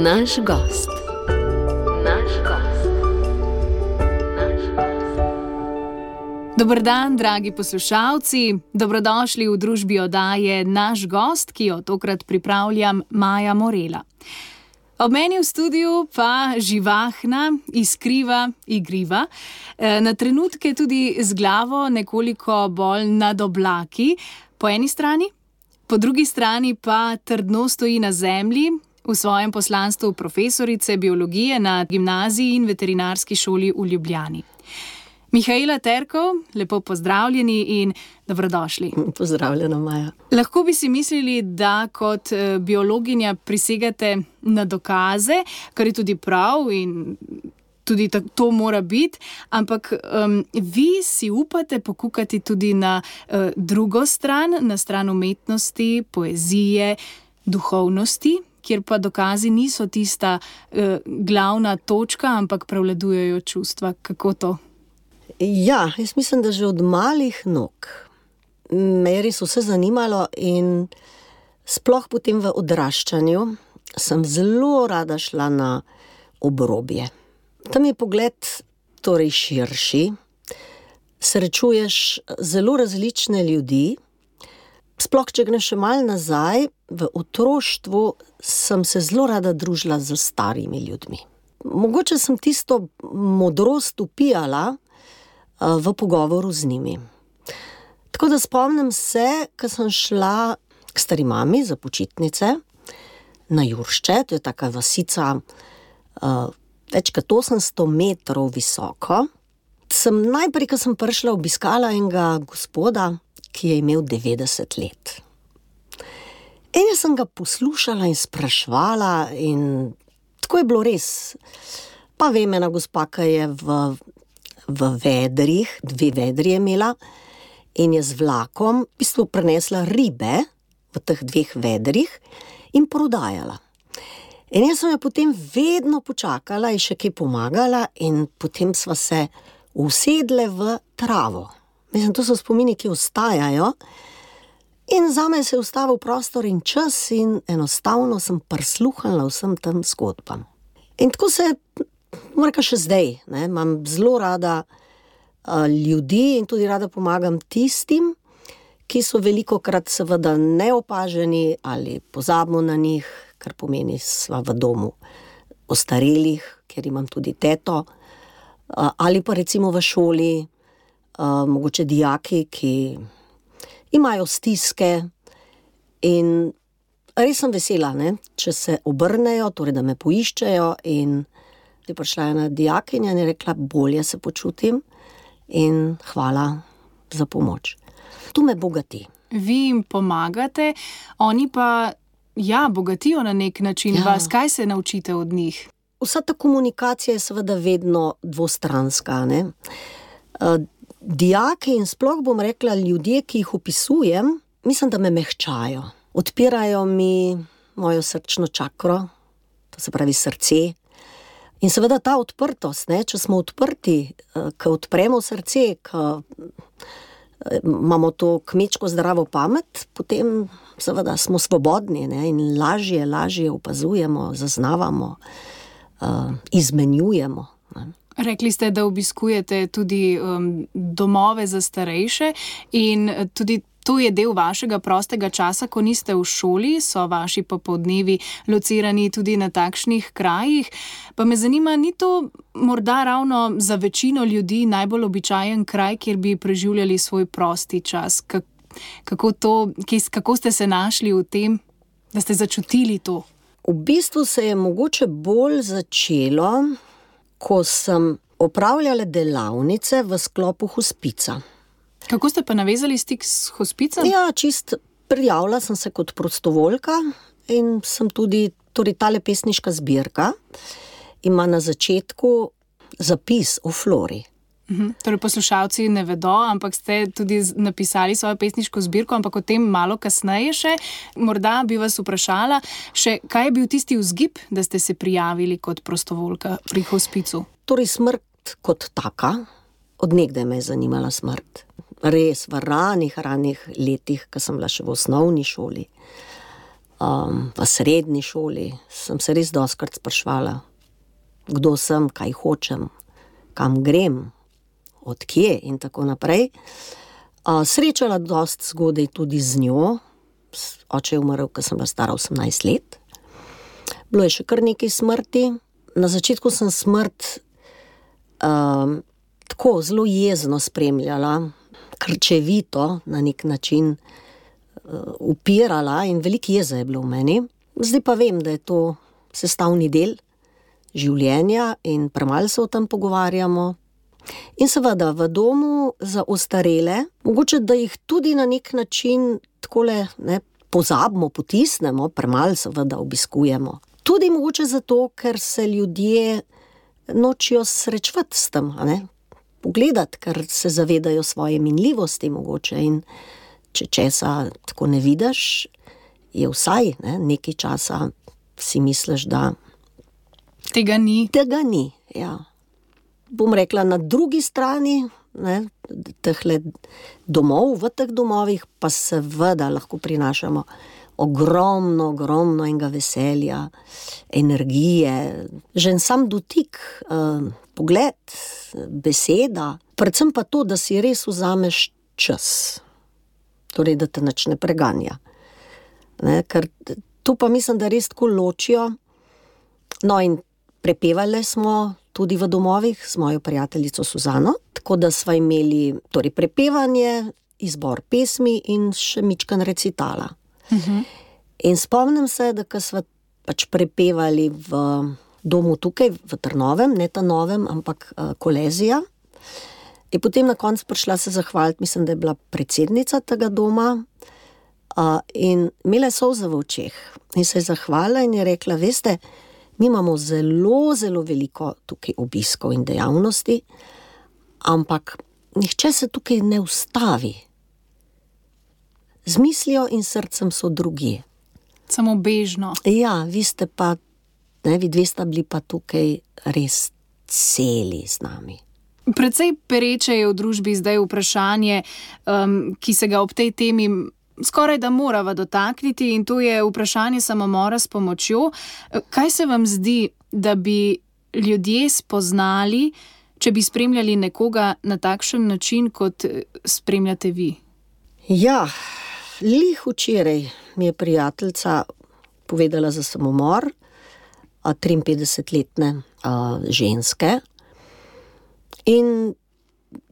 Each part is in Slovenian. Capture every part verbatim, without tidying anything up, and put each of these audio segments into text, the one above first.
Naš gost. Naš gost. Naš gost. Dober dan, dragi poslušalci. Dobrodošli v družbi oddaje Naš gost, ki jo tokrat pripravljam Maja Morela. Ob meni v studiu pa živahna, iskriva, igriva, na trenutke tudi z glavo nekoliko bolj nad oblaki, po eni strani, po drugi strani pa trdno stoji na zemlji, v svojem poslanstvu profesorice biologije na gimnaziji in veterinarski šoli v Ljubljani. Mihaela Terkov, lepo pozdravljeni in dobrodošli. Pozdravljena, Maja. Lahko bi si mislili, da kot biologinja prisegate na dokaze, kar je tudi prav in tudi to mora biti, ampak um, vi si upate pokukati tudi na uh, drugo stran, na stran umetnosti, poezije, duhovnosti, kjer pa dokazi niso tista uh, glavna točka, ampak prevladujejo čustva. Kako to? Ja, jaz mislim, da že od malih nog me je res vse zanimalo in sploh potem v odraščanju sem zelo rada šla na obrobje. Tam je pogled torej širši, srečuješ zelo različne ljudi. Sploh, če greš še malo nazaj, v otroštvu sem se zelo rada družila z starimi ljudmi. Mogoče sem tisto modrost upijala v pogovoru z njimi. Tako da spomnim se, ko sem šla k stari mami za počitnice na Juršče, to je taka vasica uh, več kot osemsto metrov visoko. Sem najprej, ko sem prišla, obiskala enega gospoda, ki je imel devetdeset let. In jaz sem ga poslušala in spraševala in tako je bilo res. Pa vem, ena gospa, ki je v, v vedrih, dve vedri je imela in je z vlakom v bistvu prinesla ribe v teh dveh vedrih in prodajala. In jaz sem jo potem vedno počakala in še kaj pomagala in potem sva se usedle v travo. Mislim, to so spomini, ki ostajajo. In zame se je ustavil prostor in čas in enostavno sem prisluhnila vsem tem zgodbam. In tako se, moram reči še zdaj, ne, imam zelo rada uh, ljudi in tudi rada pomagam tistim, ki so velikokrat seveda neopaženi ali pozabimo na njih, kar pomeni sva v domu ostarelih, ker imam tudi teto, uh, ali pa recimo v šoli, uh, mogoče dijaki, ki imajo stiske in res sem vesela, ne, če se obrnejo, torej da me poiščejo in je prišla ena dijakinja in je rekla, bolje se počutim in hvala za pomoč. To me bogati. Vi jim pomagate, oni pa, ja, bogatijo na nek način ja. Vas. Kaj se naučite od njih? Vsa ta komunikacija je seveda vedno dvostranska, ne. Uh, Dijaki in sploh bom rekla ljudje, ki jih opisujem, mislim, da me mehčajo. Odpirajo mi mojo srčno čakro, to se pravi srce. In seveda ta odprtost, ne, če smo odprti, ko odpremo srce, ko imamo to kmečko zdravo pamet, potem seveda smo svobodni, ne, in lažje, lažje opazujemo, zaznavamo, uh, izmenjujemo, ne. Rekli ste, da obiskujete tudi um, domove za starejše in tudi to je del vašega prostega časa, ko niste v šoli, so vaši popoldnevi locirani tudi na takšnih krajih. Pa me zanima, ni to morda ravno za večino ljudi najbolj običajen kraj, kjer bi preživljali svoj prosti čas? Kako, to, kako ste se našli v tem, da ste začutili to? V bistvu se je mogoče bolj začelo, ko sem opravljala delavnice v sklopu hospica. Kako ste pa navezali stik s hospicem? Ja, čist prijavila sem se kot prostovoljka in sem tudi, torej tale pesniška zbirka ima na začetku zapis o flori. Uhum. Torej poslušalci ne vedo, ampak ste tudi napisali svojo pesniško zbirko, ampak o tem malo kasneje še. Morda bi vas vprašala še, kaj je bil tisti vzgib, da ste se prijavili kot prostovoljka pri hospicu? Torej smrt kot taka, od nekdaj me je zanimala smrt. Res v ranih, ranih letih, ko sem bila še v osnovni šoli. Um, v srednji šoli sem se res dostikrat spraševala, kdo sem, kaj hočem, kam grem, od kje in tako naprej. Uh, srečala dosti zgodaj tudi z njo. Oče je umrl, ko sem bila stara osemnajst let. Bilo je še kar nekaj smrti. Na začetku sem smrt um, tako zelo jezno spremljala, krčevito na nek način uh, upirala in veliko jeze je bilo v meni. Zdaj pa vem, da je to sestavni del življenja in premalo se o tem pogovarjamo. In seveda v domu za ostarele, mogoče da jih tudi na nek način takole, ne, pozabimo, potisnemo, premalo seveda obiskujemo. Tudi mogoče zato, ker se ljudje nočijo srečevati s tem, a ne? Pogledati, ker se zavedajo svoje minljivosti mogoče in če česa tako ne vidiš, je vsaj, ne, nekaj časa si misliš, da tega ni. Tega ni, ja. Bom rekla, na drugi strani, ne, tehle domov, v teh domovih pa seveda lahko prinašamo ogromno, ogromno enega veselja, energije, že en sam dotik, eh, pogled, beseda, predvsem pa to, da si res vzameš čas, torej, da te nič ne preganja. Ne, ker to pa mislim, da res tako ločijo. No in prepevali smo tudi v domovih s mojo prijateljico Suzano, tako da sva imeli torej prepevanje, izbor pesmi in še mičkan recitala. Uh-huh. In spomnim se, da ko sva pač prepevali v domu tukaj, v Trnovem, ne ta novem, ampak uh, Kolezija, je potem na koncu prišla se zahvaliti, mislim, da je bila predsednica tega doma, uh, in imela je solze v očeh in se je zahvalila in je rekla, veste, mi imamo zelo, zelo veliko tukaj obiskov in dejavnosti, ampak nihče se tukaj ne ustavi. Z mislijo in srcem so drugje. Samo bežno. Ja, vi ste pa, ne, vi dve sta bili pa tukaj res celi z nami. Precej pereče je v družbi zdaj vprašanje, um, ki se ga ob tej temi skoraj da morava dotakniti, in to je vprašanje samomora s pomočjo. Kaj se vam zdi, da bi ljudje spoznali, če bi spremljali nekoga na takšen način, kot spremljate vi? Ja, lih včeraj mi je prijateljica povedala za samomor triinpetdesetletne ženske in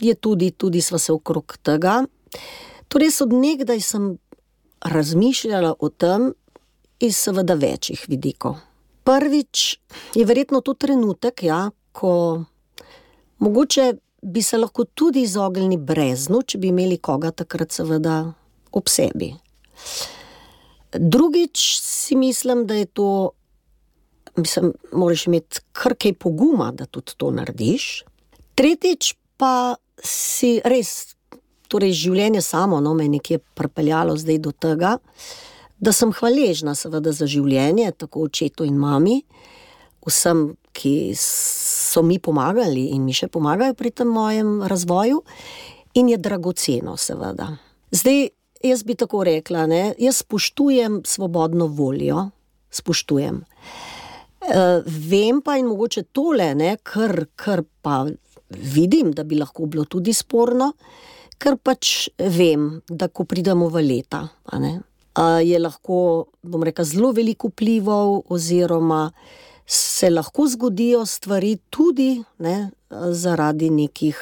je tudi, tudi sva se okrog tega. Torej, od nekdaj sem razmišljala o tem iz seveda večjih vidikov. Prvič je verjetno to trenutek, ja, ko mogoče bi se lahko tudi izognili breznu, če bi imeli koga takrat seveda ob sebi. Drugič si mislim, da je to, mislim, moraš imeti kar kaj poguma, da tudi to narediš. Tretjič pa si res, torej življenje samo, no, me je nekje pripeljalo zdaj do tega, da sem hvaležna seveda za življenje, tako očetu in mami, vsem, ki so mi pomagali in mi še pomagajo pri tem mojem razvoju, in je dragoceno seveda. Zdaj, jaz bi tako rekla, ne, jaz spoštujem svobodno voljo, spoštujem. E, vem pa in mogoče tole, ne, kar, kar pa vidim, da bi lahko bilo tudi sporno, ker pač vem, da ko pridemo v leta, a ne, a je lahko, bom rekla, zelo veliko vplivov oziroma se lahko zgodijo stvari tudi, ne, zaradi nekih,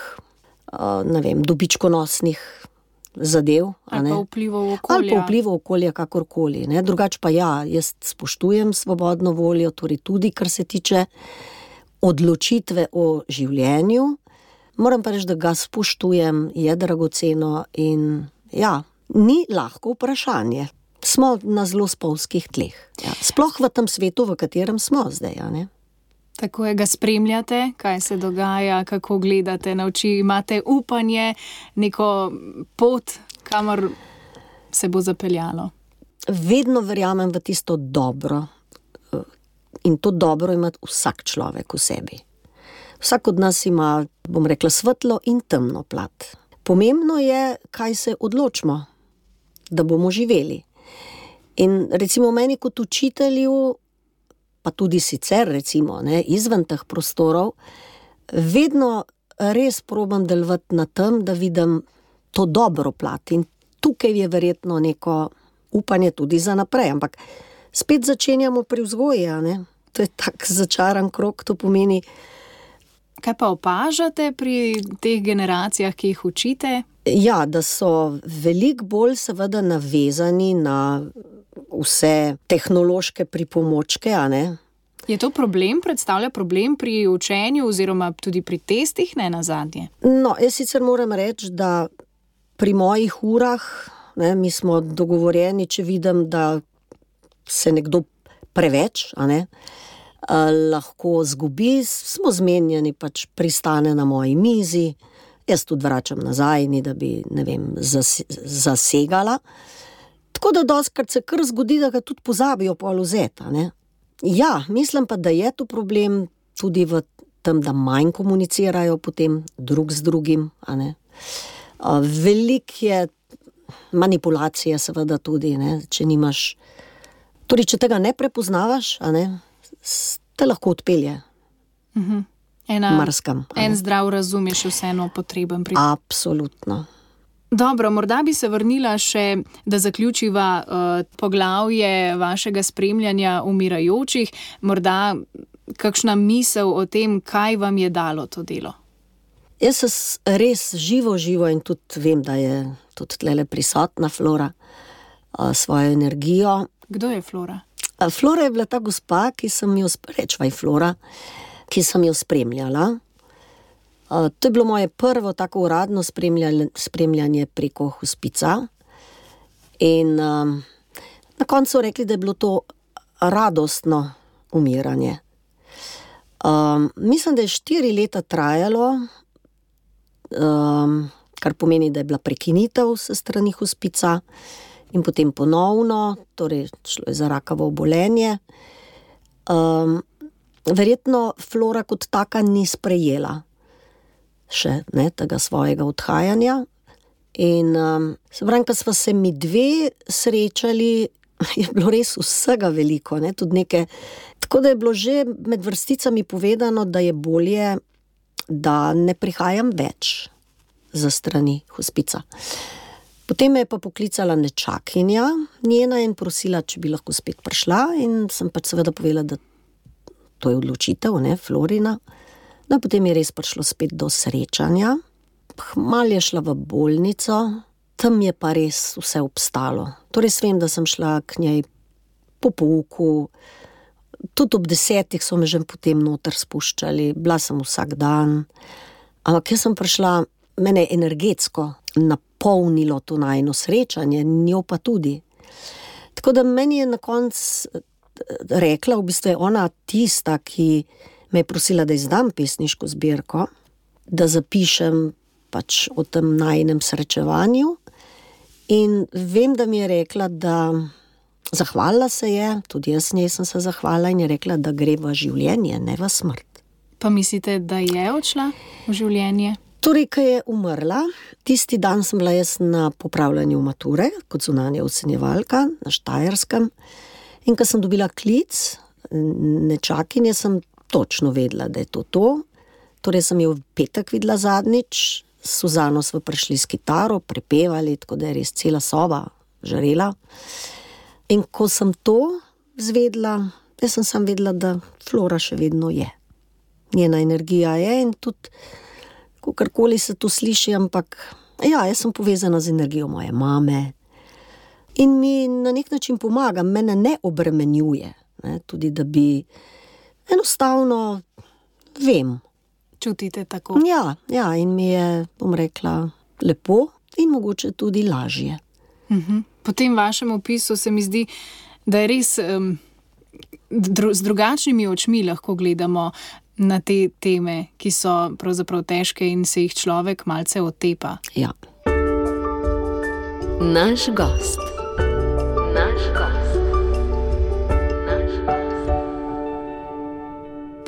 ne vem, dobičkonosnih zadev, a ne. Ali pa vplivov okolja. Ali pa vplivov okolja, kakorkoli, ne. Drugač pa ja, jaz spoštujem svobodno voljo, torej tudi, kar se tiče odločitve o življenju. Moram pa reči, da ga spoštujem, je dragoceno in ja, ni lahko vprašanje. Smo na zelo spolzkih tleh. Ja. Sploh v tem svetu, v katerem smo zdaj, a ne? Tako je, ga spremljate, kaj se dogaja, kako gledate na oči, imate upanje, neko pot, kamor se bo zapeljalo. Vedno verjamem v tisto dobro in to dobro ima vsak človek v sebi. Vsak od nas ima, bom rekla, svetlo in temno plat. Pomembno je, kaj se odločimo, da bomo živeli. In recimo meni kot učitelju, pa tudi sicer recimo ne, izven teh prostorov, vedno res probam delovati na tem, da vidim to dobro plat. In tukaj je verjetno neko upanje tudi za naprej, ampak spet začenjamo pri vzgoji, a ne? To je tak začaran krog, to pomeni. Kaj pa opažate pri teh generacijah, ki jih učite? Ja, da so veliko bolj seveda navezani na vse tehnološke pripomočke, a ne? Je to problem, predstavlja problem pri učenju oziroma tudi pri testih, ne nazadnje? No, jaz sicer moram reči, da pri mojih urah, ne, mi smo dogovorjeni, če vidim, da se nekdo preveč, a ne, a, lahko zgubi, smo zmenjeni, pač pristane na moji mizi, jaz tudi vračam nazaj, ni da bi, ne vem, zas, zasegala. Tako da dostikrat se kar zgodi, da ga tudi pozabijo pol vzeti, a ne. Ja, mislim pa, da je to problem tudi v tem, da manj komunicirajo potem drug z drugim, a ne. A, veliko je manipulacije seveda tudi, ne, če nimaš, torej, če tega ne prepoznavaš, a ne, te lahko odpelje. Uh-huh. Ena, marskam. En zdrav razum je še vseeno potreben pri... Absolutno. Dobro, morda bi se vrnila še, da zaključiva uh, poglavje vašega spremljanja umirajočih, morda kakšna misel o tem, kaj vam je dalo to delo? Jaz se res živo, živo in tudi vem, da je tudi tlele prisotna Flora uh, svojo energijo. Kdo je Flora? Uh, Flora je bila ta gospa, ki sem jo, rečvaj Flora, ki sem jo spremljala. Uh, to je bilo moje prvo tako uradno spremljanje, spremljanje preko hospica in um, na koncu so rekli, da je bilo to radostno umiranje. Um, mislim, da je štiri leta trajalo, um, kar pomeni, da je bila prekinitev s strani hospica in potem ponovno, torej šlo je za rakavo obolenje. Um, verjetno Flora kot taka ni sprejela še ne, tega svojega odhajanja. In um, se pravim, ko sva se mi dve srečali, je bilo res vsega veliko, ne, tudi neke, tako da je bilo že med vrsticami povedano, da je bolje, da ne prihajam več za strani hospica. Potem me je pa poklicala nečakinja njena in prosila, če bi lahko spet prišla, in sem pač seveda povedala, da to je odločitev, ne, Florina. No, potem je res prišlo spet do srečanja. Malo je šla v bolnico, tam je pa res vse obstalo. Torej, vem, da sem šla k njej po pouku, tudi ob desetih so me že potem noter spuščali, bila sem vsak dan. Ampak jaz sem prišla, mene je energetsko napolnilo to najino srečanje, njo pa tudi. Tako da meni je na koncu rekla, v bistvu je ona tista, ki me je prosila, da izdam pesniško zbirko, da zapišem pač o tem najinem srečevanju, in vem, da mi je rekla, da zahvalila se je, tudi jaz njej sem se zahvalila, in je rekla, da gre v življenje, ne v smrt. Pa mislite, da je odšla v življenje? Torej, ko je umrla, tisti dan sem bila jaz na popravljanju mature, kot zunanja ocenjevalka na Štajerskem, in ko sem dobila klic nečakinje, sem točno vedela, da je to to. Torej sem jo v petek videla zadnjič, s Suzano smo prišli s kitaro, prepevali, tako da je res cela soba žarela. In ko sem to zvedela, jaz sem sam vedela, da Flora še vedno je. Njena energija je in tudi, kakorkoli se to sliši, ampak ja, jaz sem povezana z energijo moje mame in mi na nek način pomaga, mene ne obremenjuje, ne, tudi da bi enostavno vem. Čutite tako? Ja, ja, in mi je, bom rekla, lepo in mogoče tudi lažje. Uh-huh. Po tem vašem opisu se mi zdi, da je res um, dru- z drugačnimi očmi lahko gledamo na te teme, ki so pravzaprav težke in se jih človek malce otepa. Ja. Naš gost. Naš gost.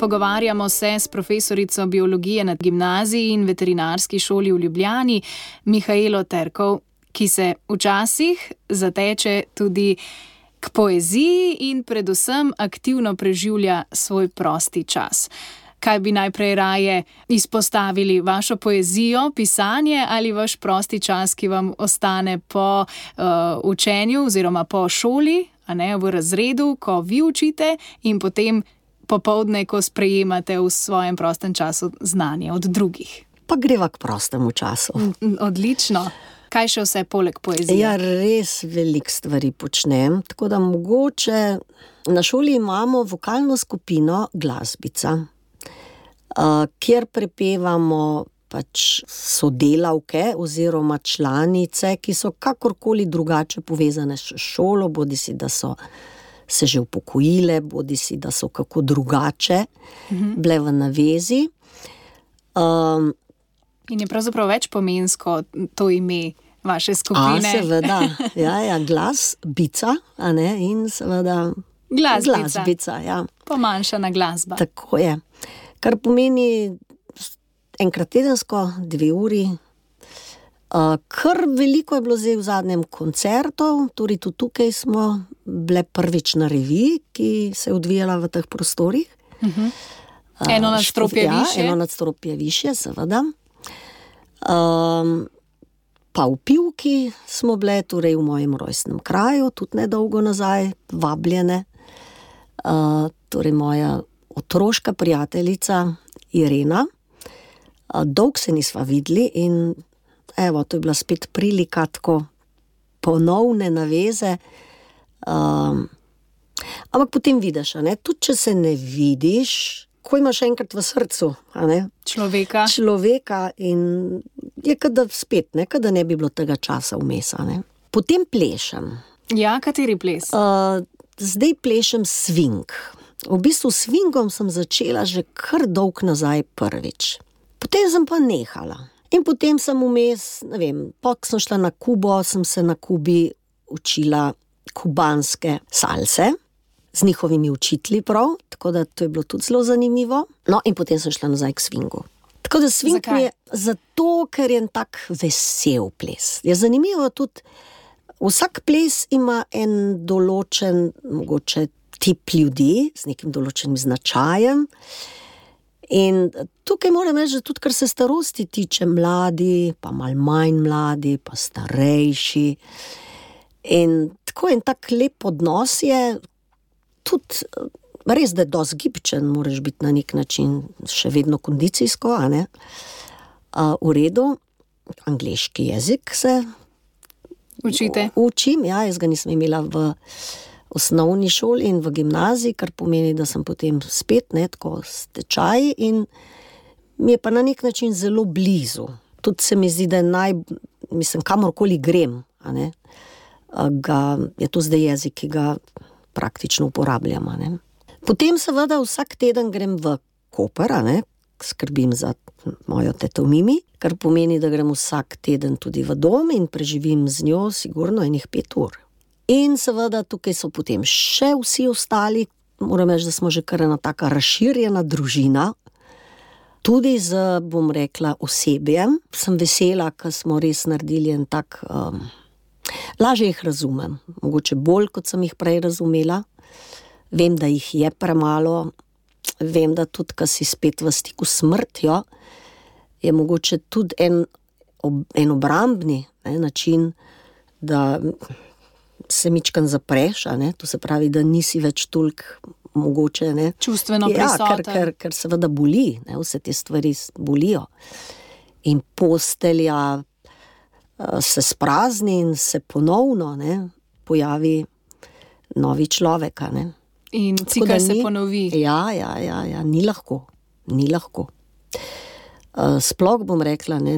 Pogovarjamo se s profesorico biologije na gimnaziji in veterinarski šoli v Ljubljani, Mihaelo Terkov, ki se včasih zateče tudi k poeziji in predvsem aktivno preživlja svoj prosti čas. Kaj bi najprej raje izpostavili, vašo poezijo, pisanje ali vaš prosti čas, ki vam ostane po uh, učenju oziroma po šoli, a ne v razredu, ko vi učite in potem popoldne, ko sprejemate v svojem prostem času znanje od drugih? Pa greva k prostemu času. Odlično. Kaj še vse poleg poezije? Ja, res veliko stvari počnem, tako da mogoče na šoli imamo vokalno skupino Glasbica, Uh, kjer prepevamo pač sodelavke oziroma članice, ki so kakorkoli drugače povezane s šolo, bodi si, da so se že upokojile, bodi si, da so kako drugače mhm. bile v navezi. Um, In je pravzaprav več pomensko to ime vaše skupine. A, seveda, ja, ja, Glasbica, a ne, in seveda Glasbica. Glasbica, ja. Pomanjšana glasba. Tako je. Kar pomeni enkrat tedensko, dve uri. Uh, kar veliko je bilo zdaj v zadnjem koncertov, torej tudi tukaj smo bile prvič na reviji, ki se je odvijala v teh prostorih. Uh-huh. Eno nadstropje uh, više. Ja, eno nadstropje više, seveda. Um, pa v Pivki smo bile, torej v mojem rojstnem kraju, tudi nedolgo nazaj, vabljene. Uh, torej moja otroška prijateljica Irena. Dolg se nisva videli in evo, to je bila spet prilika tako ponovne naveze. Um, ampak potem vidiš, a ne, tudi če se ne vidiš, ko imaš enkrat v srcu, a ne, človeka. Človeka in je kada spet, ne, kada ne bi bilo tega časa vmes, a ne. Potem plešem. Ja, kateri ples? Uh, zdaj plešem swing. V bistvu s swingom sem začela že kar dolg nazaj prvič. Potem sem pa nehala. In potem sem vmes, ne vem, pa ko sem šla na Kubo, sem se na Kubi učila kubanske salse z njihovimi učitelji prav, tako da to je bilo tudi zelo zanimivo. No, in potem sem šla nazaj k swingu. Tako da swing Zakaj? mi je zato, ker je en tak vesel ples. Je zanimivo tudi, vsak ples ima en določen, mogoče tip ljudi z nekim določenim značajem. In tukaj moram reči, že tudi, kar se starosti tiče, mladi, pa malo manj mladi, pa starejši. In tako en tak lep odnos je tudi, res, da je dosti gibčen, moraš biti na nek način še vedno kondicijsko, a ne? Uh, v redu, angleški jezik se Učite? učim, ja, jaz ga nisem imela v osnovni šoli in v gimnaziji, kar pomeni, da sem potem spet, ne, tako stečaj in mi je pa na nek način zelo blizu. Tudi se mi zdi, da je naj, mislim, kamorkoli grem, a ne, ga, je to zdaj jezik, ki ga praktično uporabljam, a ne. Potem seveda vsak teden grem v Koper, a ne, skrbim za mojo teto Mimi, kar pomeni, da grem vsak teden tudi v dom in preživim z njo sigurno enih pet ur. In seveda tukaj so potem še vsi ostali, moram reči, da smo že kar ena taka razširjena družina, tudi z, bom rekla, osebjem. Sem vesela, ker smo res naredili en tak, um, lažje jih razumem, mogoče bolj, kot sem jih prej razumela. Vem, da jih je premalo, vem, da tudi, ko si spet v stiku s smrtjo, je mogoče tudi en, ob, en obrambni ne, način, da se mičkan zapreš, a ne, to se pravi, da nisi več toliko mogoče, ne. Čustveno ja, prisoten. ker, ker, ker seveda boli, ne, vse te stvari bolijo. In postelja uh, se sprazni in se ponovno, ne, pojavi novi človek, a ne. In cikel se ponovi. Ja, ja, ja, ja, ni lahko, ni lahko. Uh, sploh bom rekla, ne,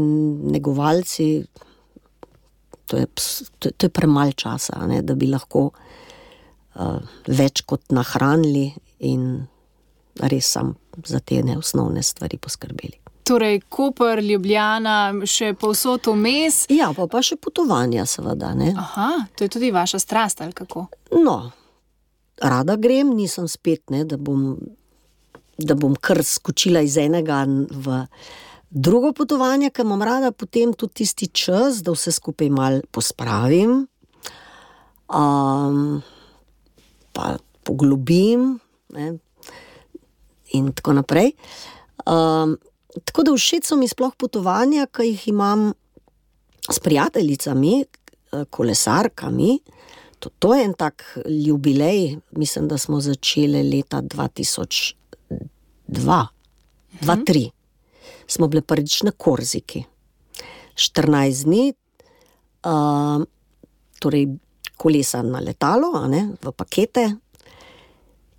negovalci, to je, to, to je premalj časa, ne, da bi lahko uh, več kot nahranili in res sam za te neosnovne stvari poskrbeli. Torej, Koper, Ljubljana, še povsod vmes. Ja, pa, pa še potovanja seveda, ne. Aha, to je tudi vaša strast, ali kako? No, rada grem, nisem spet, ne, da bom, da bom kar skočila iz enega v drugo potovanje, ker imam rada potem tudi tisti čas, da vse skupaj malo pospravim. Um, pa poglobim, ne, in tako naprej. Um, tako da všeč so mi sploh potovanja, ki jih imam s prijateljicami, kolesarkami. To, to je en tak jubilej, mislim, da smo začeli leta dva tisoč dva, dva tisoč tri. Smo bili prvič na Korziki. štirinajst dni, uh, torej kolesa na letalo, a ne, v pakete,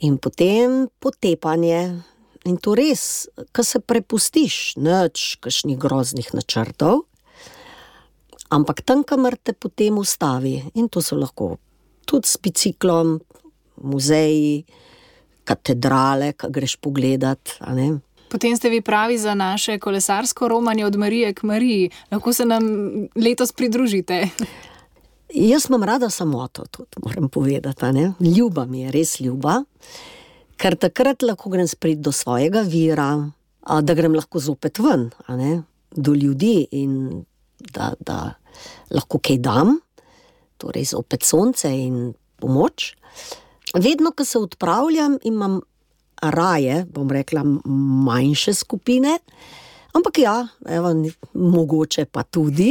in potem potepanje. In to res, ko se prepustiš, nič, kakšnih groznih načrtov, ampak tam, kamor te potem ustavi, in to so lahko tudi s biciklom, muzeji, katedrale, ko greš pogledat, a ne. Potem ste vi pravi za naše kolesarsko romanje od Marije k Mariji. Lahko se nam letos pridružite. Jaz imam rada samoto, tudi moram povedati, a ne. Ljuba mi je, res ljuba, ker takrat lahko grem sprit do svojega vira, a, da grem lahko zopet ven, a ne, do ljudi in da, da lahko kaj dam, torej zopet sonce in pomoč. Vedno, ko se odpravljam, imam raje, bom rekla, manjše skupine, ampak ja, evo, mogoče pa tudi.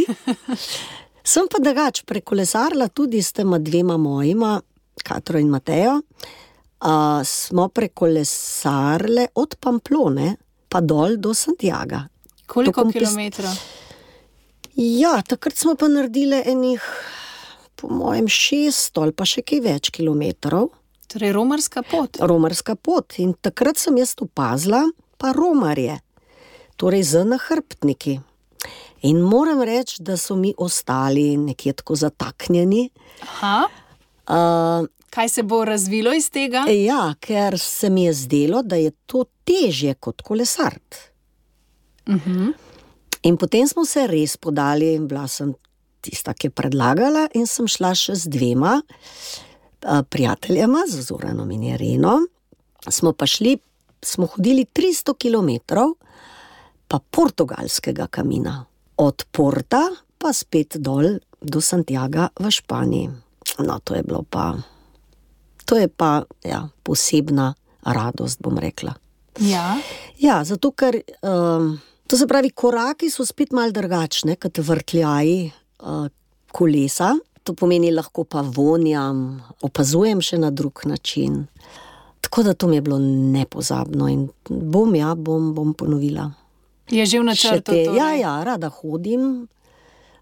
Sem pa drugač prekolesarila tudi s tema dvema mojima, Katro in Matejo, a, smo prekolesarile od Pamplone pa dol do Santiaga. Koliko kilometrov? Ja, takrat smo pa naredili enih, po mojem, šest ali pa še kaj več kilometrov. Torej romarska pot. Romarska pot. In takrat sem jaz opazila pa romarje, torej z nahrbtniki. In moram reči, da so mi ostali nekje tako zataknjeni. Aha. Uh, Kaj se bo razvilo iz tega? Ja, ker se mi je zdelo, da je to težje kot kolesart. Uh-huh. In potem smo se res podali, bila sem tista, ki je predlagala, in sem šla še z dvema uh, prijateljema, z Zoranom in Ireno. Smo pa šli, smo hodili tristo kilometrov pa portugalskega kamina. Od Porta pa spet dol do Santiaga v Španiji. No, to je bilo pa, to je pa, ja, posebna radost, bom rekla. Ja. Ja, zato ker... Um, To se pravi, koraki so spet malo drugačne, kot vrtljaji uh, kolesa. To pomeni, lahko pa vonjam, opazujem še na drug način. Tako da to mi je bilo nepozabno in bom, ja, bom, bom ponovila. Je že v načrtu te, torej? Ja, ja, rada hodim,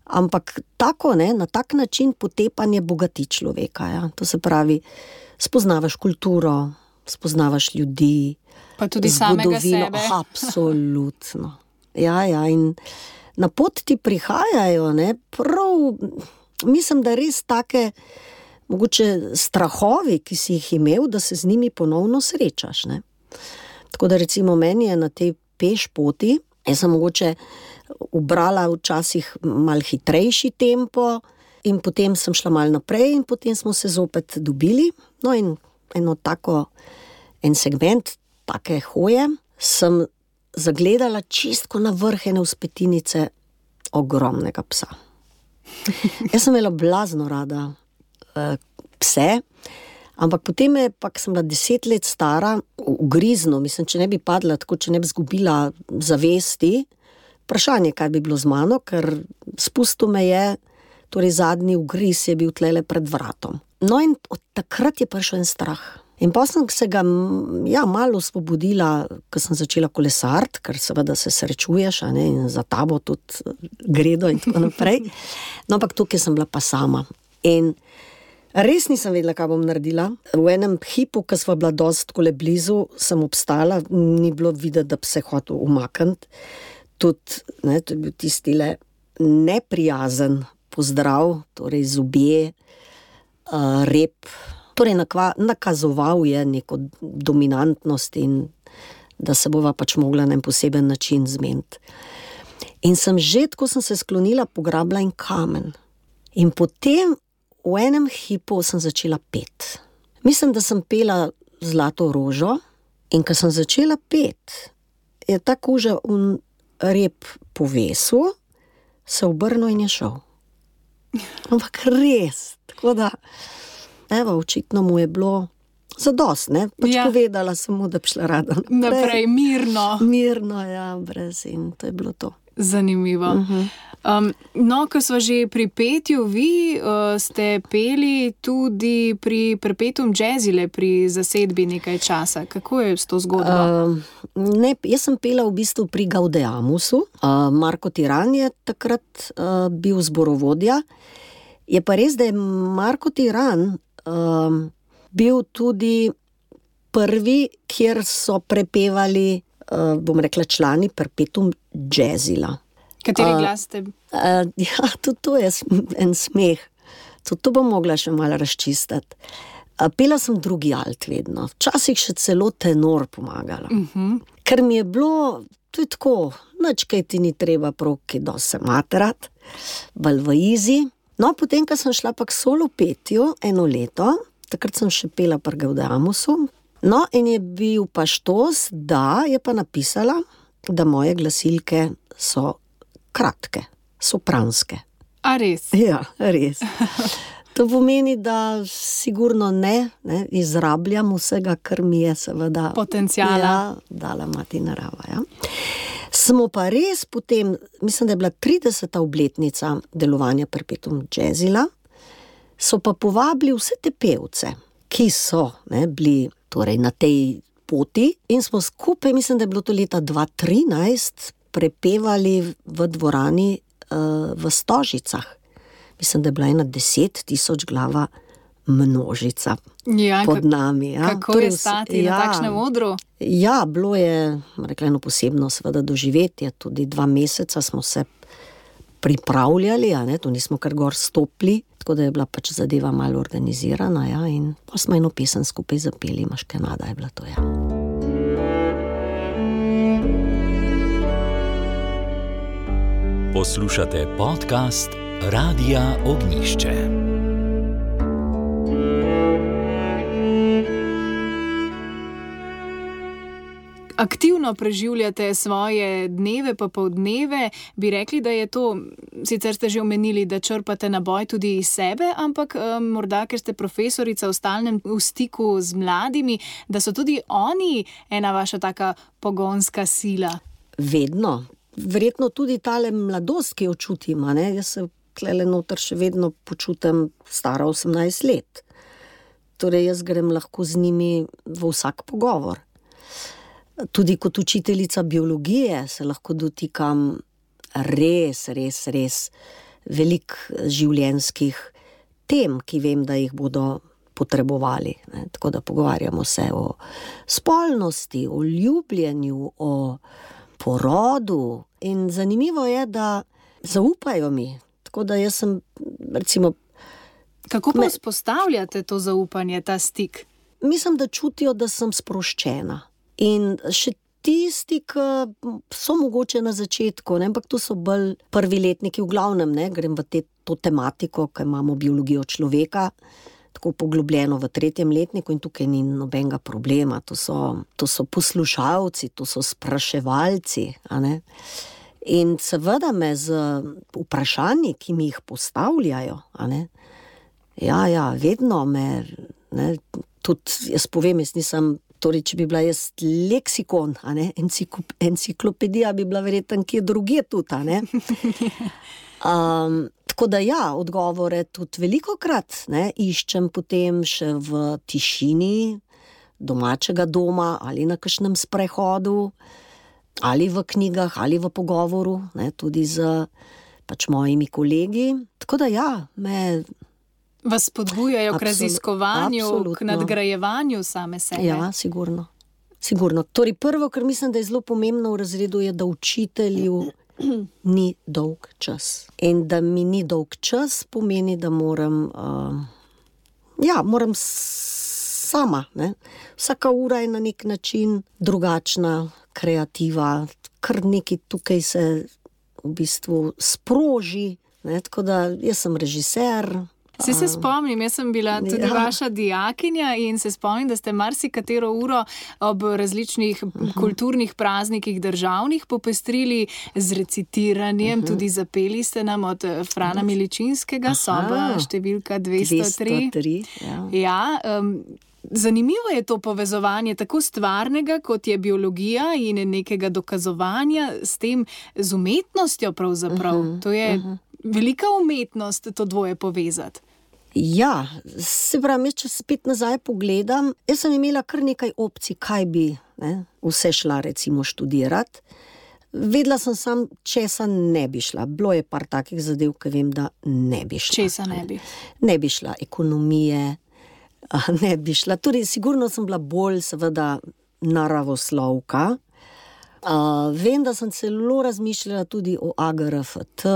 ampak tako, ne, na tak način potepanje bogati človeka. Ja. To se pravi, spoznavaš kulturo, spoznavaš ljudi, pa tudi samega sebe. Absolutno. Ja, ja, in na pot ti prihajajo, ne, prav, mislim, da res take, mogoče strahovi, ki si jih imel, da se z njimi ponovno srečaš, ne. Tako da recimo meni je na tej peš poti, jaz sem mogoče ubrala včasih mal hitrejši tempo in potem sem šla mal naprej in potem smo se zopet dobili, no in eno tako, en segment take hoje sem zagledala čistko na vrh ene vzpetinice ogromnega psa. Jaz sem imela blazno rada uh, pse, ampak potem je, pa sem bila deset let stara, ugrizno, mislim, če ne bi padla, tako če ne bi zgubila zavesti, vprašanje, kaj bi bilo z mano, ker spustil me je, torej zadnji ugriz je bil tlele pred vratom. No in od takrat je prišel en strah. In pa sem se ga, ja, malo osvobodila, ko sem začela kolesart, ker seveda se srečuješ, a ne, in za tabo tudi gredo in tako naprej. No, ampak tukaj sem bila pa sama. In res nisem vedela, kaj bom naredila. V enem hipu, ko sva bila dosti kole blizu, sem obstala, ni bilo videti, da bi se hotel umakniti. Tudi, ne, to je bil tistile neprijazen pozdrav, torej zobje, uh, rep, torej nakazoval je neko dominantnost in da se bova pač mogla na en poseben način zmeniti. In sem že, ko sem se sklonila, pograbila en kamen. In potem v enem hipu sem začela pet. Mislim, da sem pela Zlato rožo in ko sem začela pet, je ta koža un rep povesil, se obrnil in je šel. Ampak res, tako da evo, očitno mu je bilo zadost, ne? Pač Ja. povedala sem mu, da bi šla rada naprej. Naprej, mirno. Mirno, ja, brez in to je bilo to. Zanimivo. Um, no, ko smo že pri petju, vi uh, ste peli tudi pri Perpetuum Jazzile, pri zasedbi nekaj časa. Kako je s to zgodbo? Uh, ne, jaz sem pela v bistvu pri Gaudeamusu. Uh, Marko Tiran je takrat uh, bil zborovodja. Je pa res, da je Marko Tiran uh, bil tudi prvi, kjer so prepevali, uh, bom rekla, člani Perpetuum Jazzila. Kateri uh, glas ste? Uh, ja, tudi to je en smeh. Tudi to bom mogla še malo razčistiti. Uh, pela sem drugi alt vedno. Včasih še celo tenor pomagala. Uh-huh. Ker mi je bilo, to je tako, nič kaj ti ni treba prav, ki do se materat, bolj v izi. No, potem, ko sem šla pa k solo petju eno leto, takrat sem še pela pri Gaudeamusu, no, in je bil pa štos, da je pa napisala, da moje glasilke so kratke, sopranske. A res? Ja, res. To pomeni, da sigurno ne, ne izrabljam vsega, kar mi je seveda Potenciala. Ja, dala mati narava. Ja. Smo pa res potem, mislim, da je bila trideseta obletnica delovanja Perpetuum Jazzila, so pa povabili vse te pevce, ki so ne, bili torej, na tej poti in smo skupaj, mislim, da je bilo to leta dva tisoč trinajst, prepevali v dvorani uh, v Stožicah. Mislim, da je bila ena deset tisoč glava množica Ja, pod ka- nami. Ja. Kako je stati na takšnem odru? Ja, bilo je, rekla, eno posebno seveda doživetje, tudi dva meseca smo se pripravljali, a ne, tu nismo kar gor stopili, tako da je bila pač zadeva malo organizirana, ja, in pa smo eno pesem skupaj zapeli, Maškenada je bila to, ja. Poslušate podcast Radia Ognjišče. Aktivno preživljate svoje dneve pa poldneve, bi rekli, da je to, sicer ste že omenili, da črpate naboj tudi iz sebe, ampak um, morda, ker ste profesorica v stalnem v stiku z mladimi, da so tudi oni ena vaša taka pogonska sila. Vedno. Verjetno tudi tale mladost, ki jo čutim, a ne? Jaz se tlele noter še vedno počutim stara osemnajst let. Torej jaz grem lahko z njimi v vsak pogovor. Tudi kot učiteljica biologije se lahko dotikam res, res, res velik življenjskih tem, ki vem, da jih bodo potrebovali. Ne? Tako da pogovarjamo se o spolnosti, o ljubljenju, o porodu in zanimivo je, da zaupajo mi. Tako da jaz sem, recimo... Kako pa Me- vzpostavljate to zaupanje, ta stik? Mislim, da čutijo, da sem sproščena. In še tisti, ki so mogoče na začetku, ne, ampak to so bolj prvi letniki v glavnem, ne, grem v te, to tematiko, ki imamo biologijo človeka, tako poglobljeno v tretjem letniku in tukaj ni nobenega problema. To so, to so poslušalci, to so spraševalci, a ne. In seveda me z vprašanji, ki mi jih postavljajo, a ne, ja, ja, vedno me, ne, tudi jaz povem, jaz nisem, torej, če bi bila jaz leksikon, a ne, enciklop, enciklopedija bi bila verjetno kje drugje tudi, a ne. Um, tako da ja, odgovore tudi velikokrat, ne, iščem potem še v tišini domačega doma ali na kakšnem sprehodu, ali v knjigah, ali v pogovoru, ne, tudi z pač mojimi kolegi. Tako da ja, me... Vas spodbujajo k Absolut- raziskovanju, k absolutno. nadgrajevanju same sebe? Ja, sigurno. Sigurno. Torej prvo, kar mislim, da je zelo pomembno v razredu, je, da učitelju ni dolg čas. In da mi ni dolg čas, pomeni, da moram, uh, ja, moram s- sama, ne. Vsaka ura je na nek način drugačna, kreativa, kar nekaj tukaj se v bistvu sproži, ne, tako da jaz sem režiser. Se se spomnim, jaz sem bila tudi Ja. vaša dijakinja in se spomnim, da ste marsikatero uro ob različnih kulturnih praznikih državnih popestrili z recitiranjem, tudi zapeli ste nam od eh, Frana Miličinskega, soba številka dvesto tri. dvesto tri, ja. Ja, um, Zanimivo je to povezovanje tako stvarnega, kot je biologija in nekega dokazovanja s tem, z umetnostjo pravzaprav. Uh-huh, to je uh-huh. velika umetnost to dvoje povezati. Ja, se pravi, če spet nazaj pogledam, jaz sem imela kar nekaj opcij, kaj bi ne, vse šla recimo študirati. Vedela sem sam, česa ne bi šla. Bilo je par takih zadev, ki vem, da ne bi šla. Česa ne bi? Ne bi šla ekonomije, ne bi šla. Torej, sigurno sem bila bolj seveda naravoslovka. Uh, vem, da sem celo razmišljala tudi o A G R F T.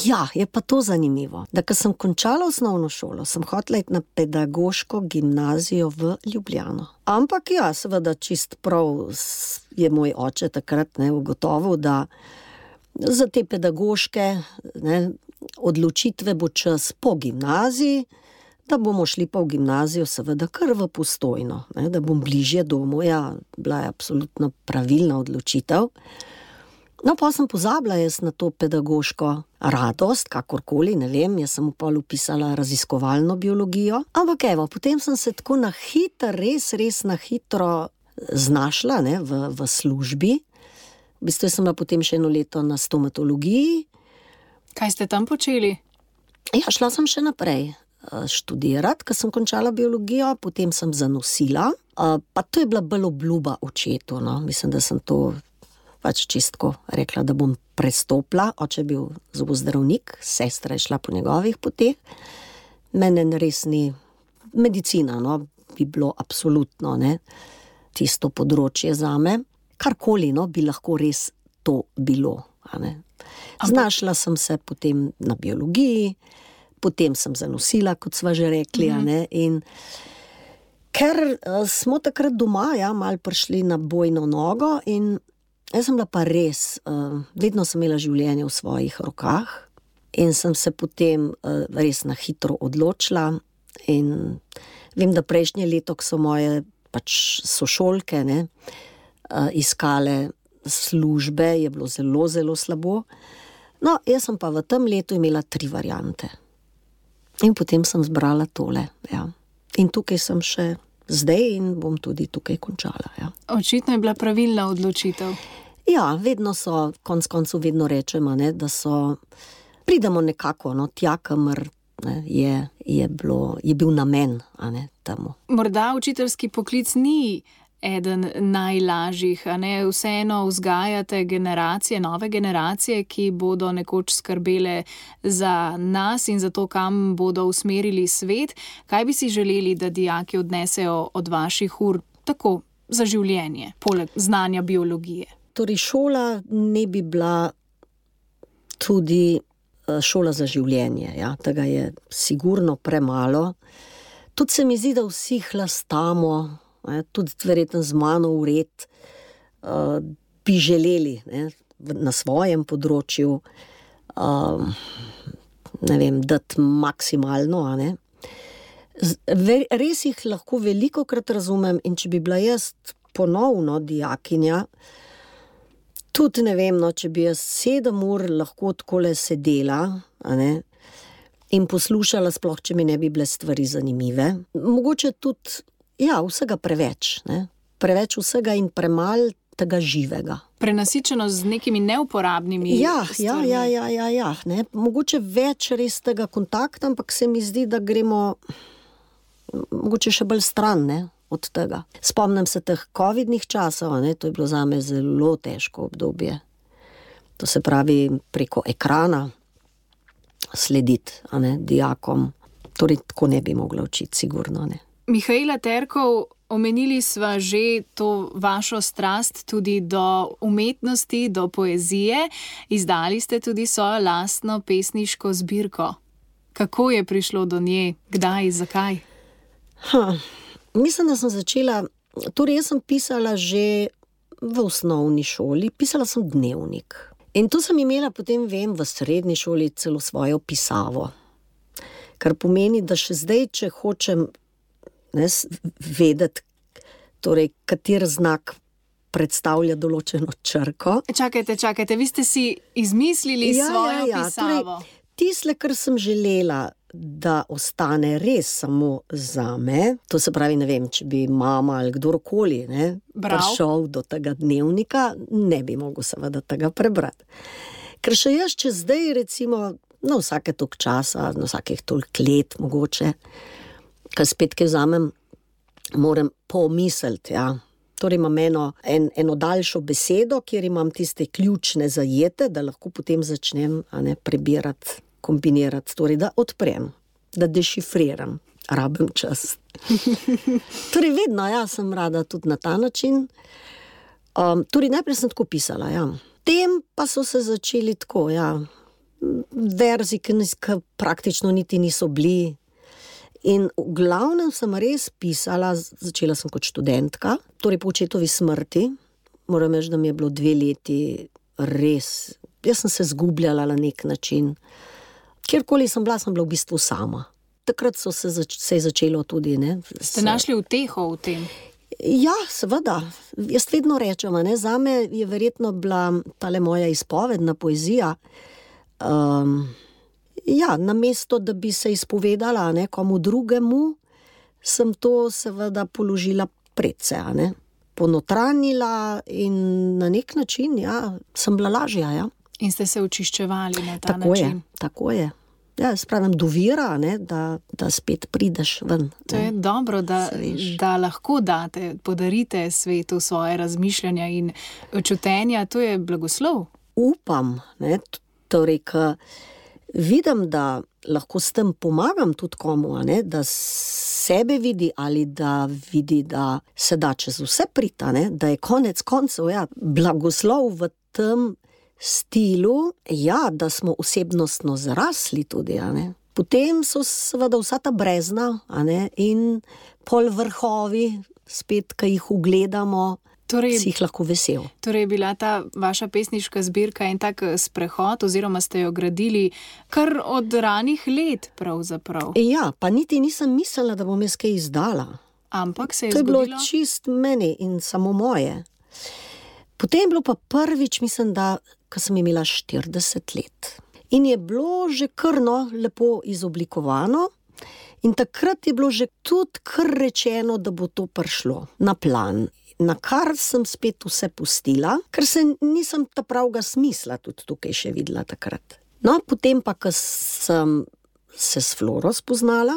Ja, je pa to zanimivo, da ko sem končala osnovno šolo, sem hotela iti na pedagoško gimnazijo v Ljubljano. Ampak ja, seveda čist prav je moj oče takrat ne, ugotovil, da za te pedagoške ne, odločitve bo čas po gimnaziji, da bomo šli pa v gimnazijo seveda kar v Postojno, ne, da bom bližje domu. Ja, bila je absolutno pravilna odločitev. No, pa sem pozabila jaz na to pedagoško radost, kakorkoli, ne vem, jaz sem pol upisala raziskovalno biologijo, ampak evo, potem sem se tako na hitro, res, res na hitro znašla ne, v, v službi. V bistvu sem bila potem še eno leto na stomatologiji. Kaj ste tam počeli? Ja, šla sem še naprej študirati, ker sem končala biologijo, potem sem zanosila, pa to je bila bolj obljuba očetu, no, mislim, da sem to pač čistko rekla, da bom prestopila. Oče je bil zobozdravnik, sestra je šla po njegovih poteh. Mene res ni medicina, no, bi bilo absolutno ne, tisto področje zame. Karkoli, no, bi lahko res to bilo. A ne. Znašla sem se potem na biologiji, potem sem zanosila, kot sva že rekli, mm-hmm. a ne, in ker uh, smo takrat doma, ja, malo prišli na bojno nogo in jaz sem bila pa res, uh, vedno sem imela življenje v svojih rokah in sem se potem uh, res na hitro odločila in vem, da prejšnje leto, ko so moje pač sošolke ne, uh, iskale službe, je bilo zelo, zelo slabo. No, jaz sem pa v tem letu imela tri variante. In potem sem zbrala tole, ja. In tukaj sem še zdaj in bom tudi tukaj končala, ja. Očitno je bila pravilna odločitev. Ja, vedno so, konc koncu vedno rečemo, ne, da so, pridemo nekako, no, tja, kamor ne, je, je, bilo, je bil namen, a ne, temu. Morda učiteljski poklic ni eden najlažjih, a ne, vseeno vzgajate generacije, nove generacije, ki bodo nekoč skrbele za nas in za to, kam bodo usmerili svet. Kaj bi si želeli, da dijaki odnesejo od vaših ur tako za življenje, poleg znanja biologije? Torej, šola ne bi bila tudi šola za življenje, ja, tega je sigurno premalo. Tudi se mi zdi, da vsi hlastamo, ne, tudi verjetno z mano vred, uh, bi želeli ne, na svojem področju uh, ne vem, dati maksimalno, a ne. Res jih lahko velikokrat razumem in če bi bila jaz ponovno dijakinja, tudi ne vem, no, če bi jaz sedem ur lahko takole sedela, a ne, in poslušala, sploh, če mi ne bi bile stvari zanimive. Mogoče tudi, ja, vsega preveč, ne, preveč vsega in premal tega živega. Prenasičeno z nekimi neuporabnimi ja, stvarmi. Ja, ja, ja, ja, ja, ne, mogoče več res tega kontakta, ampak se mi zdi, da gremo mogoče še bolj stran, ne, od tega. Spomnim se teh covidnih časov, ne, to je bilo zame zelo težko obdobje. To se pravi preko ekrana slediti, a ne, dijakom. Torej, tako ne bi mogla učiti, sigurno ne. Mihaela Terkov, omenili sva že to vašo strast tudi do umetnosti, do poezije. Izdali ste tudi svojo lastno pesniško zbirko. Kako je prišlo do nje? Kdaj? Zakaj? Ha. Mislim, da sem začela, torej jaz sem pisala že v osnovni šoli, pisala sem dnevnik. In to sem imela potem, vem, v srednji šoli celo svojo pisavo. Kar pomeni, da še zdaj, če hočem ne, vedeti, torej, kater znak predstavlja določeno črko. Čakajte, čakajte, vi ste si izmislili ja, svojo ja, ja. pisavo. Torej, tisle, kar sem želela da ostane res samo zame, to se pravi, ne vem, če bi mama ali kdorkoli ne, prišel do tega dnevnika, ne bi mogel seveda tega prebrati. Ker še jaz, če zdaj recimo, na vsake toliko časa, na vsakih toliko let mogoče, ko spet kaj vzamem, moram pomisliti, ja. Torej imam eno, en, eno daljšo besedo, kjer imam tiste ključne zajete, da lahko potem začnem a ne, prebirati, kombinirati, torej da odprem, da dešifriram, rabim čas. Torej vedno, ja, sem rada tudi na ta način. Um, torej najprej sem tako pisala, ja. Tem pa so se začeli tako, ja, verzi, ki, ki praktično niti niso bili. In v glavnem sem res pisala, začela sem kot študentka, torej po očetovi smrti, moram reči, da mi je bilo dve leti res, jaz sem se zgubljala na nek način, kjerkoli sem bila, sem bila v bistvu sama. Takrat so se, zač- se je začelo tudi, ne. Ste našli uteho v tem? Ja, seveda, jaz vedno rečem, ne, zame je verjetno bila tale moja izpovedna poezija, um, ja, namesto, da bi se izpovedala ne, komu drugemu, sem to seveda položila predse, ne, ponotranjila in na nek način, ja, sem bila lažja, ja. In ste se očiščevali na ta Tako je, način? tako je. Ja, spravim do vira, ne, da, da spet prideš ven. To je ne. dobro, da, Se veš. da lahko date, podarite svetu svoje razmišljanja in čutenja, to je blagoslov. Upam, ne, t- torej, ka vidim, da lahko s tem pomagam tudi komu, a ne, da sebe vidi ali da vidi, da se da čez vse priti, a ne, da je konec koncev, ja, blagoslov v tem stilu, ja, da smo osebnostno zrasli tudi, a ne. Potem so seveda vsa ta brezna, a ne, in pol vrhovi, spet, ki jih ugledamo, Torej, si jih lahko vesel. torej je bila ta vaša pesniška zbirka en tak sprehod, oziroma ste jo gradili kar od ranih let pravzaprav. Ja, pa niti nisem mislila, da bom jaz kaj izdala. Ampak se je To je bilo zgodilo... čist meni in samo moje. Potem je bilo pa prvič, mislim, da, ko sem imela štirideset let. In je bilo že krno lepo izoblikovano in takrat je bilo že tudi kar rečeno, da bo to prišlo na plan. Na kar sem spet vse pustila, ker se nisem ta pravega smisla tudi tukaj še videla takrat. No, potem pa, ko sem se s Floro spoznala,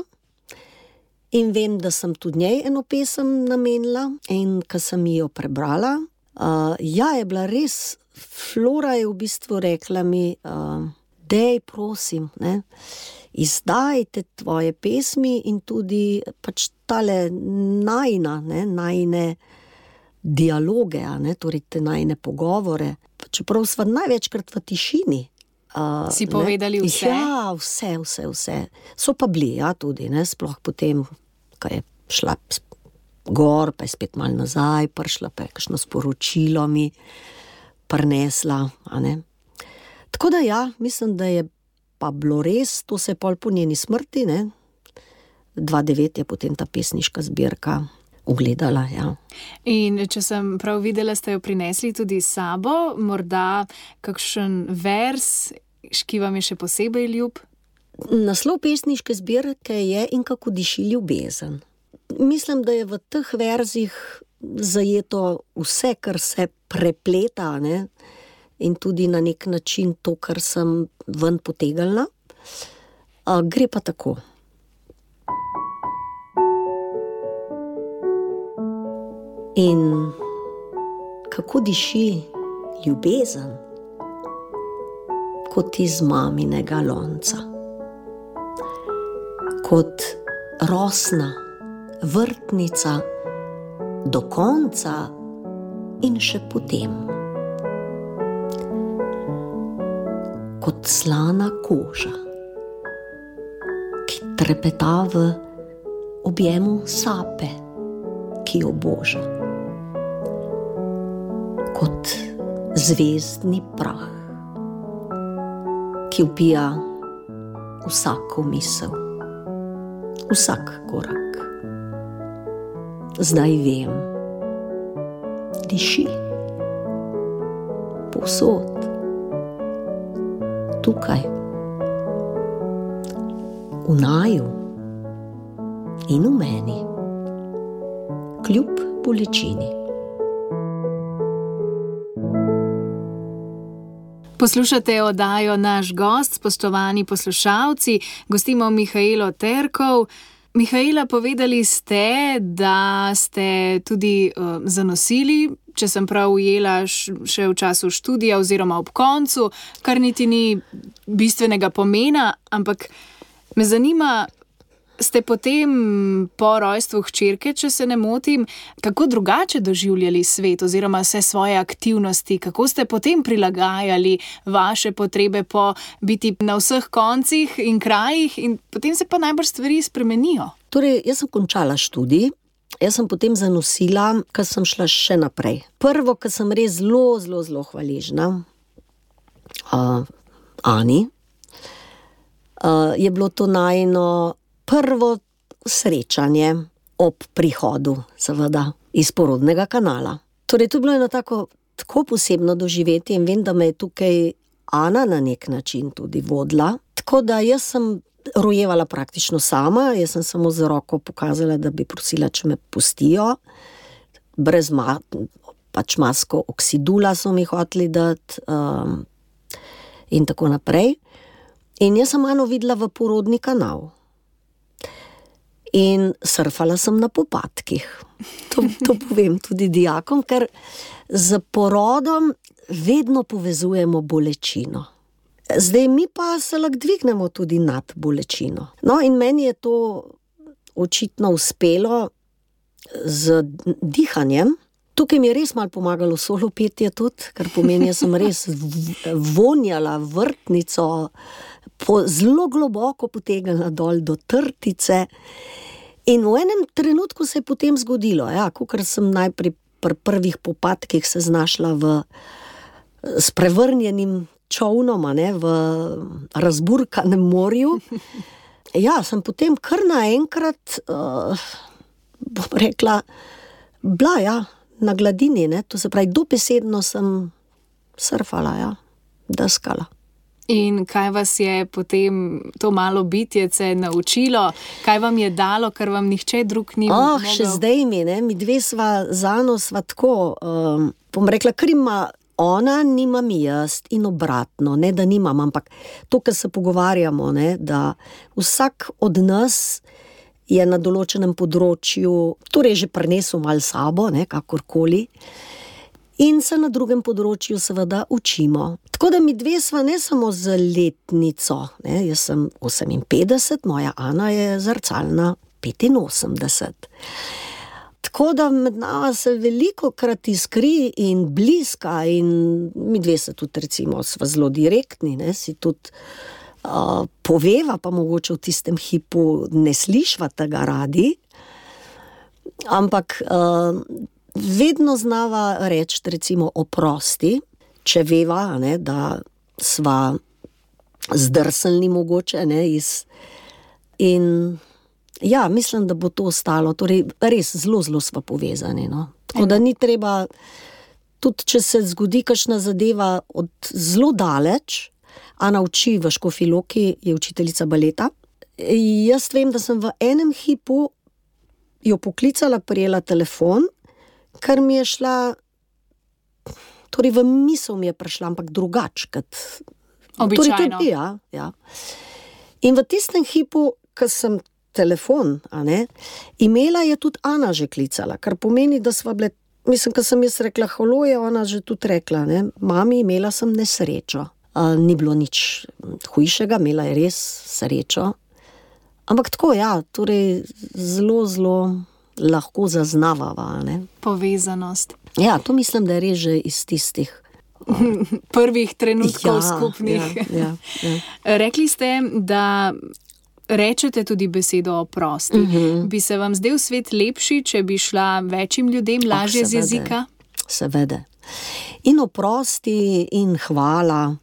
in vem, da sem tudi njej eno pesem namenila in ko sem jo prebrala, uh, ja, je bila res, Flora je v bistvu rekla mi, uh, dej, prosim, ne, izdajte tvoje pesmi in tudi pač tale najina, ne, najine dialoge, a ne, torej te najine pogovore, čeprav sva največkrat v tišini. Uh, Si povedali ne? vse? Ja, vse, vse, vse. So pa bili, ja, tudi, ne, sploh potem, ko je šla gor, pa je spet malo nazaj, prišla pa je kakšno sporočilo mi prinesla, a ne. Tako da ja, mislim, da je pa bilo res, to se je pol po njeni smrti, ne, dva devet je potem ta pesniška zbirka ugledala, ja. In če sem prav videla, ste jo prinesli tudi s sabo, morda kakšen vers, ki vam je še posebej ljub? Naslov pesniške zbirke je In kako diši ljubezen. Mislim, da je v teh verzih zajeto vse, kar se prepleta, ne? In tudi na nek način to, kar sem ven potegnila. A, gre pa tako. In kako diši ljubezen, kot iz maminega lonca. Kot rosna vrtnica do konca in še potem. Kot slana koža, ki trepeta v objemu sape, ki jo boža. Kot zvezdni prah, ki ubija vsako misel, vsak korak. Zdaj vem, diši povsod, tukaj, v naju in v meni, kljub bolečini. Poslušate oddajo Naš gost, spoštovani poslušalci, gostimo Mihaelo Terkov. Mihaela, povedali ste, da ste tudi uh, zanosili, če sem prav ujela, še v času študija oziroma ob koncu, kar niti ni bistvenega pomena, ampak me zanima, ste potem po rojstvu hčerke, če se ne motim, kako drugače doživljali svet oziroma vse svoje aktivnosti, kako ste potem prilagajali vaše potrebe po biti na vseh koncih in krajih in potem se pa najbrž stvari spremenijo? Torej, jaz sem končala študij, jaz sem potem zanosila, ker sem šla še naprej. Prvo, ker sem res zelo, zelo, zelo hvaležna uh, Ani, uh, je bilo to najino prvo srečanje ob prihodu, seveda, iz porodnega kanala. Torej, to je bilo eno tako, tako posebno doživetje in vem, da me je tukaj Ana na nek način tudi vodila. Tako da jaz sem rojevala praktično sama, jaz sem samo z roko pokazala, da bi prosila, če me pustijo. Brez ma, pač masko oksidula so mi hoteli dati um, in tako naprej. In jaz sem Ano videla v porodni kanal. In surfala sem na popadkih. To, to povem tudi dijakom, ker z porodom vedno povezujemo bolečino. Zdaj mi pa se lahko dvignemo tudi nad bolečino. No, in meni je to očitno uspelo z dihanjem. Tukaj mi je res malo pomagalo solo petje tudi, kar pomeni, jaz sem res vonjala vrtnico, po, zelo globoko potegnila dol do trtice. In v enem trenutku se je potem zgodilo, ja, kakor sem najprej pri prvih popadkih se znašla v sprevrnjenim čovnom, ne, v razburkanem morju. Ja, sem potem kar naenkrat, uh, bom rekla, bila, ja, na gladini, ne, to se pravi, dobesedno sem surfala, ja, deskala. In kaj vas je potem to malo bitjece naučilo? Kaj vam je dalo, kar vam nihče drug ni oh, mogel? Še zdaj mi, ne, mi dve sva z Ano sva tako, um, bom rekla, kar ima ona, nimam jaz in obratno, ne, da nimam, ampak to, kar se pogovarjamo, ne, da vsak od nas je na določenem področju, torej že prinesel malo sabo, ne, kakorkoli, in se na drugem področju seveda učimo. Tako da mi dve sva ne samo z letnico, ne, jaz sem oseminpetdeset, moja Ana je zrcalna petinosemdeset. Tako da med nama se veliko krat iskri in bliska in mi dve se tudi recimo sva zelo direktni, ne, si tudi uh, poveva, pa mogoče v tistem hipu ne slišva tega radi, ampak uh, vedno znava reči, recimo, oprosti, če veva, ne, da sva zdrselni mogoče, ne, iz... In ja, mislim, da bo to ostalo, torej res zelo, zelo sva povezani, no. Tako da ni treba, tudi če se zgodi kakšna zadeva od zelo daleč, Ana uči v Škofji Loki, je učiteljica baleta. Jaz vem, da sem v enem hipu jo poklicala, prijela telefon, ker mi je šla, torej v misel mi je prišla, ampak drugač, kot običajno. Torej tudi, ja, ja. In v tistem hipu, ko sem telefon, a ne, imela je tudi Ana že klicala, kar pomeni, da sva bile, mislim, ko sem jaz rekla halo, je ona že tudi rekla, ne, mami, imela sem nesrečo. A, ni bilo nič hujšega, imela je res srečo. Ampak tako, ja, torej zelo, zelo lahko zaznavava, ne. Povezanost. Ja, to mislim, da je res že iz tistih uh, prvih trenutkov ja, skupnih. Ja, ja, ja. Rekli ste, da rečete tudi besedo oprosti. Uh-huh. Bi se vam zdel svet lepši, če bi šla večjim ljudem lažje oh, z jezika? Seveda. In oprosti, in hvala,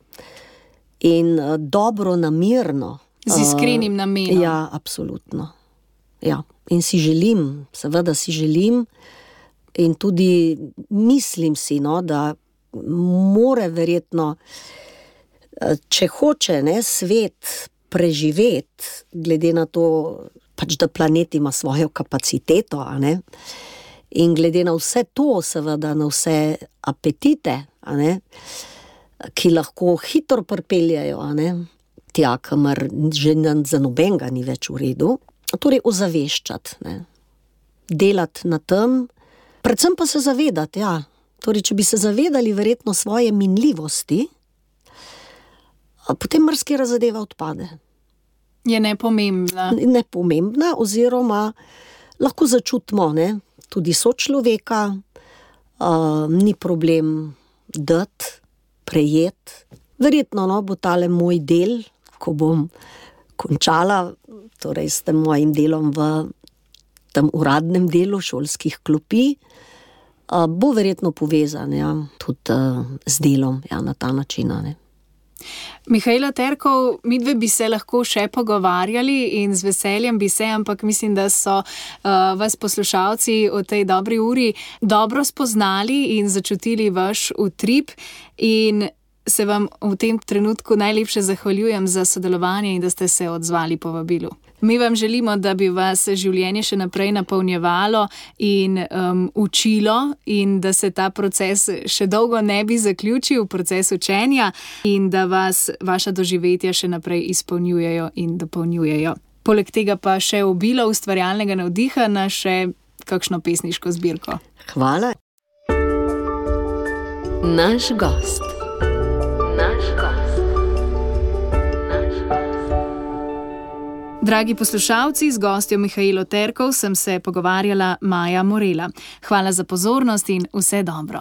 in uh, dobro namirno. Z iskrenim namenom. Uh, ja, absolutno. Ja. In si želim, seveda si želim in tudi mislim si, no, da more verjetno, če hoče, ne, svet preživeti, glede na to, pač, da planet ima svojo kapaciteto, a ne? In glede na vse to, seveda na vse apetite, a ne? Ki lahko hitro pripeljajo, a ne? Tja, kamor že za nobenega ni več v redu, torej ozaveščati, ne? Delati na tem, predvsem pa se zavedati, ja. Torej, če bi se zavedali verjetno svoje minljivosti, potem marsikatera zadeva odpade. Je nepomembna. Nepomembna, oziroma lahko začutimo, ne, tudi sočloveka, uh, ni problem dati, prejeti. Verjetno, no, bo tale moj del, ko bom končala, torej s tem mojim delom v tem uradnem delu šolskih klopi, uh, bo verjetno povezan, ja, tudi uh, z delom, ja, na ta način, ne. Mihaela Terkov, midve bi se lahko še pogovarjali in z veseljem bi se, ampak mislim, da so uh, vas poslušalci v tej dobri uri dobro spoznali in začutili vaš utrip in se vam v tem trenutku najlepše zahvaljujem za sodelovanje in da ste se odzvali povabilu. Mi vam želimo, da bi vas življenje še naprej napolnjevalo in um, učilo in da se ta proces še dolgo ne bi zaključil, proces učenja, in da vas vaša doživetja še naprej izpolnjujejo in dopolnjujejo. Poleg tega pa še obilo ustvarjalnega navdiha na še kakšno pesniško zbirko. Hvala. Naš gost. Naš gost. Dragi poslušalci, z gostjo Mihaelo Terkov sem se pogovarjala Maja Morela. Hvala za pozornost in vse dobro.